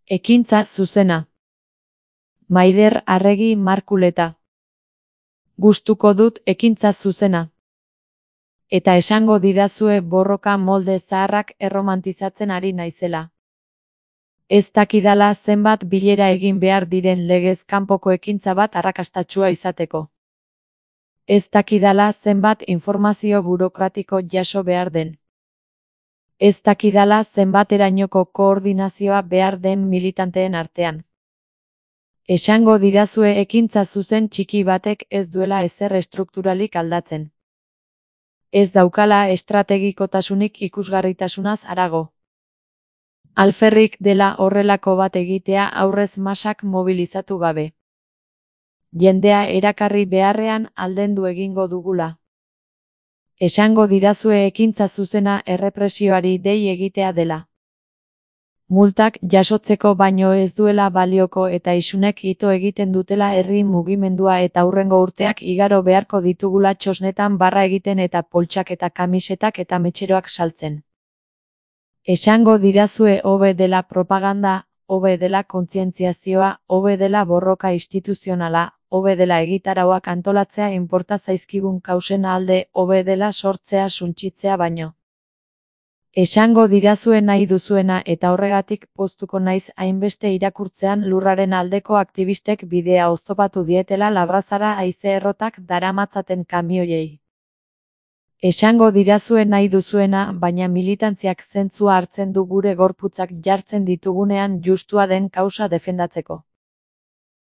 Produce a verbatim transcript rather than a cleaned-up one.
Ekintza zuzena. Maider Arregi Markuleta. Gustuko dut ekintza zuzena. Eta esango didazue borroka molde zaharrak erromantizatzen ari naizela. Ez dakidala zenbat bilera egin behar diren legez kanpoko ekintza bat arrakastatsua izateko. Ez dakidala zenbat informazio burokratiko jaso behar den. Ez dakidala zenbaterainoko koordinazioa behar den militanteen artean. Esango didazue ekintza zuzen txiki batek ez duela ezer estrukturalik aldatzen. Ez daukala estrategikotasunik ikusgarritasunaz harago. Alferrik dela horrelako bat egitea aurrez masak mobilizatu gabe. Jendea erakarri beharrean aldendu egingo dugula. Esango didazue ekintza zuzena errepresioari dei egitea dela. Multak jasotzeko baino ez duela balioko eta isunek ito egiten dutela herri mugimendua eta hurrengo urteak igaro beharko ditugula txosnetan barra egiten eta poltsak eta kamisetak eta metxeroak saltzen. Esango didazue hobe dela propaganda, hobe dela kontzientziazioa, hobe dela borroka instituzionala, hobe dela egitarauak antolatzea inporta zaizkigun kausen alde, hobe dela sortzea suntsitzea baino. Esango didazue nahi duzuena eta horregatik poztuko naiz hainbeste irakurtzean lurraren aldeko aktivistek bidea oztopatu dietela Labrazara haize errotak daramatzaten kamioiei. Esango didazue nahi duzuena, baina militantziak zentzua hartzen du gure gorputzak jartzen ditugunean justua den kausa defendatzeko.